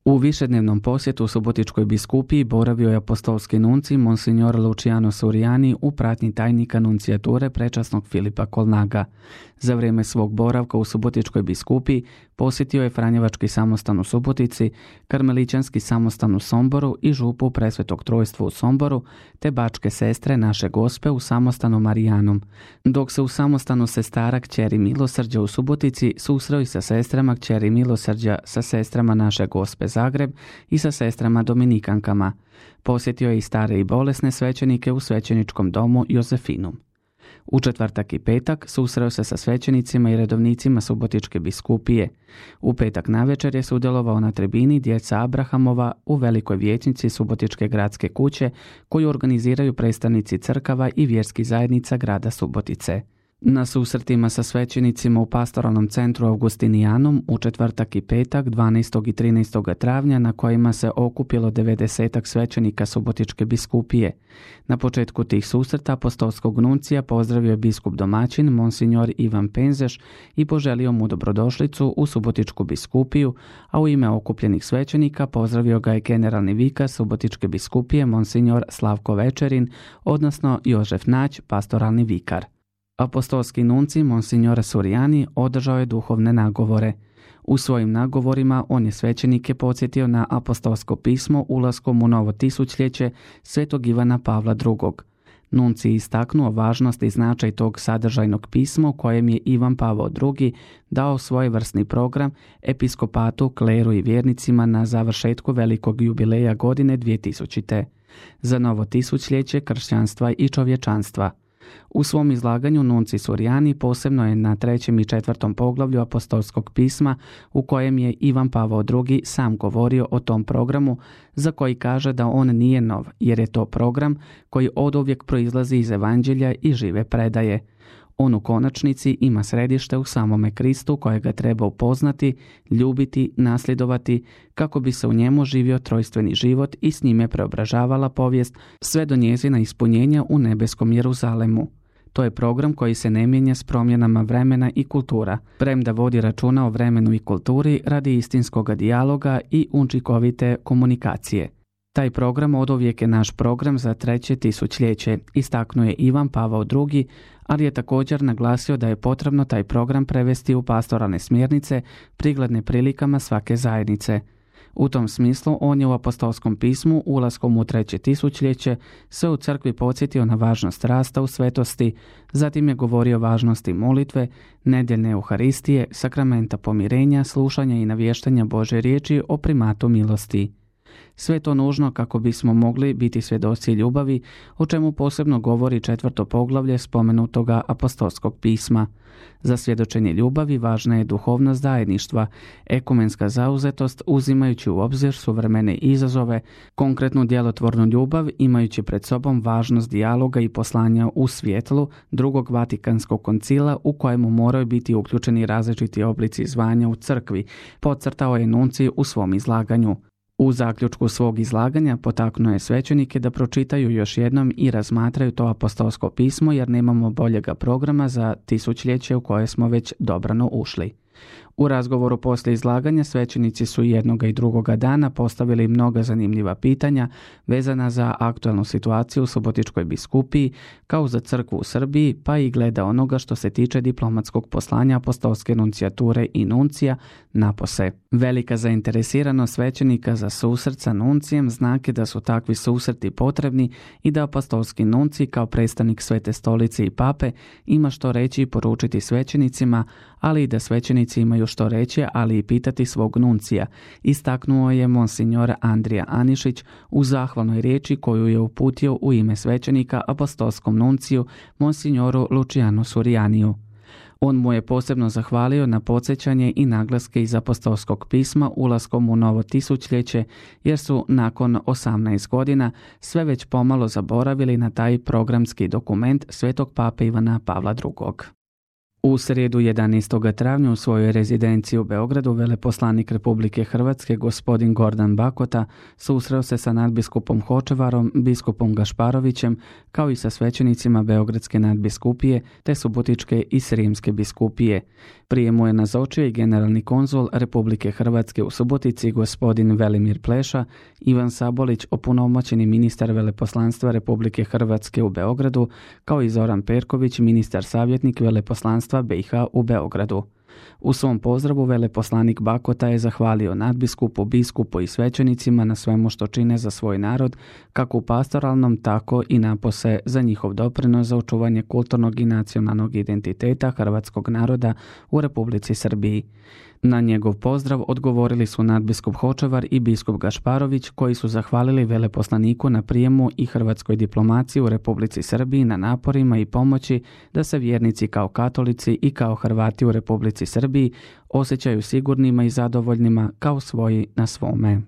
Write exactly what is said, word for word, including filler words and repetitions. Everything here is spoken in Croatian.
U višednevnom posjetu u Subotičkoj biskupiji boravio je apostolski nuncij Monsignor Luciano Suriani u pratnji tajnika nuncijature prečasnog Filipa Kolnaga. Za vrijeme svog boravka u Subotičkoj biskupiji posjetio je Franjevački samostan u Subotici, Karmelićanski samostan u Somboru i župu Presvetog Trojstva u Somboru, te Bačke sestre Naše Gospe u samostanu Marijanom, dok se u samostanu sestara Kćeri Milosrđa u Subotici susreo i sa sestrama Kćeri Milosrđa, sa sestrama Naše Gospe Zagreb i sa sestrama Dominikankama. Posjetio je i stare i bolesne svećenike u svećeničkom domu Jozefinum. U četvrtak i petak susreo se sa svećenicima i redovnicima Subotičke biskupije. U petak navečer je sudjelovao na tribini Djeca Abrahamova u velikoj vijećnici Subotičke gradske kuće koju organiziraju predstavnici crkava i vjerskih zajednica grada Subotice. Na susretima sa svećenicima u pastoralnom centru Augustinijanum u četvrtak i petak dvanaestog i trinaestog travnja na kojima se okupilo devedesetak svećenika Subotičke biskupije. Na početku tih susreta apostolskog nuncija pozdravio je biskup domaćin Monsignor Ivan Penzeš i poželio mu dobrodošlicu u Subotičku biskupiju, a u ime okupljenih svećenika pozdravio ga je generalni vikar Subotičke biskupije Monsignor Slavko Večerin, odnosno Jožef Nać, pastoralni vikar. Apostolski nuncij Monsignor Suriani održao je duhovne nagovore. U svojim nagovorima on je svećenike podsjetio na apostolsko pismo ulaskom u novo tisućljeće svetog Ivana Pavla drugog. Nuncij istaknuo važnost i značaj tog sadržajnog pisma u kojem je Ivan Pavao drugi dao svojevrsni program episkopatu, kleru i vjernicima na završetku velikog jubileja godine dvije tisućite. za novo tisućljeće kršćanstva i čovječanstva. U svom izlaganju nuncij Suriani posebno je na trećem i četvrtom poglavlju apostolskog pisma u kojem je Ivan Pavao drugi sam govorio o tom programu za koji kaže da on nije nov, jer je to program koji oduvijek proizlazi iz evanđelja i žive predaje. On u konačnici ima središte u samome Kristu kojega treba upoznati, ljubiti, nasljedovati kako bi se u njemu živio trojstveni život i s njime preobražavala povijest sve do njezina ispunjenja u nebeskom Jeruzalemu. To je program koji se ne mijenja s promjenama vremena i kultura, premda vodi računa o vremenu i kulturi radi istinskog dijaloga i učinkovite komunikacije. Taj program oduvijek je naš program za treće tisućljeće, istaknuo je Ivan Pavao drugi, ali je također naglasio da je potrebno taj program prevesti u pastoralne smjernice prikladne prilikama svake zajednice. U tom smislu on je u apostolskom pismu ulaskom u treće tisućljeće se u crkvi podsjetio na važnost rasta u svetosti, zatim je govorio o važnosti molitve, nedjeljne euharistije, sakramenta pomirenja, slušanja i navještanja Božje riječi o primatu milosti. Sve to nužno kako bismo mogli biti svjedoci ljubavi, o čemu posebno govori četvrto poglavlje spomenutoga apostolskog pisma. Za svjedočenje ljubavi važna je duhovnost zajedništva, ekumenska zauzetost uzimajući u obzir suvremene izazove, konkretnu djelotvornu ljubav imajući pred sobom važnost dijaloga i poslanja u svjetlu drugog Vatikanskog koncila u kojemu moraju biti uključeni različiti oblici zvanja u crkvi, podcrtao je nuncij u svom izlaganju. U zaključku svog izlaganja potaknuo je svećenike da pročitaju još jednom i razmatraju to apostolsko pismo jer nemamo boljega programa za tisućljeće u koje smo već dobrano ušli. U razgovoru poslije izlaganja svećenici su jednoga i drugoga dana postavili mnoga zanimljiva pitanja vezana za aktualnu situaciju u Subotičkoj biskupiji kao za crkvu u Srbiji, pa i gleda onoga što se tiče diplomatskog poslanja apostolske nuncijature i nuncija napose. Velika zainteresiranost svećenika za susret sa nuncijem znak je da su takvi susreti potrebni i da apostolski nuncij kao predstavnik Svete stolice i pape ima što reći i poručiti svećenicima, ali i da svećenici imaju što reći, ali i pitati svog nuncija, istaknuo je monsignor Andrija Anišić u zahvalnoj riječi koju je uputio u ime svećenika apostolskom nunciju monsignoru Lucianu Surianiju. On mu je posebno zahvalio na podsjećanje i naglaske iz apostolskog pisma ulaskom u novo tisućljeće, jer su nakon osamnaest godina sve već pomalo zaboravili na taj programski dokument svetog pape Ivana Pavla drugog. U srijedu jedanaestog travnja u svojoj rezidenciji u Beogradu veleposlanik Republike Hrvatske gospodin Gordan Bakota susreo se sa nadbiskupom Hočevarom, biskupom Gašparovićem, kao i sa svećenicima Beogradske nadbiskupije te Subotičke i Srijemske biskupije. Prije mu je nazočio i generalni konzul Republike Hrvatske u Subotici gospodin Velimir Pleša, Ivan Sabolić, opunomoćeni ministar veleposlanstva Republike Hrvatske u Beogradu, kao i Zoran Perković, ministar savjetnik veleposlanstva B i H u Beogradu. U svom pozdravu veleposlanik Bakota je zahvalio nadbiskupu, biskupu i svećenicima na svemu što čine za svoj narod, kako u pastoralnom, tako i napose za njihov doprinos za očuvanje kulturnog i nacionalnog identiteta hrvatskog naroda u Republici Srbiji. Na njegov pozdrav odgovorili su nadbiskup Hočevar i biskup Gašparović, koji su zahvalili veleposlaniku na prijemu i hrvatskoj diplomaciji u Republici Srbiji na naporima i pomoći da se vjernici kao katolici i kao Hrvati u Republici Srbiji osjećaju sigurnima i zadovoljnima kao svoji na svome.